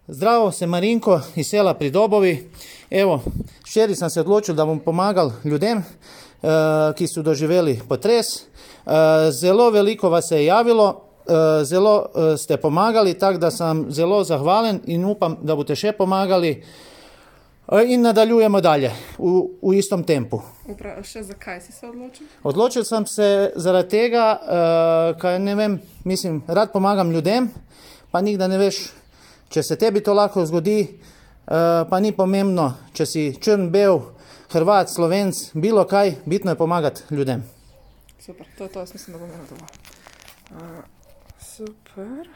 Zdravo, sem Marinko iz sela pri Dobovi. Evo, včeraj sem se odločil, da bom pomagal ljudem, ki so doživeli potres. Zelo veliko vas se je javilo, zelo ste pomagali, tako da sem zelo zahvalen in upam, da boste še pomagali in nadaljujemo dalje v istom tempu. Še zakaj si se odločil? Odločil sem se zaradi tega, kaj ne vem, mislim, rad pomagam ljudem, pa nikdar ne veš, če se tebi to lahko zgodi, pa ni pomembno, če si črn, bel, Hrvat, Slovenc, bilo kaj, bitno je pomagati ljudem. Super, to je to, jaz mislim, da bom imel dovolj. Super.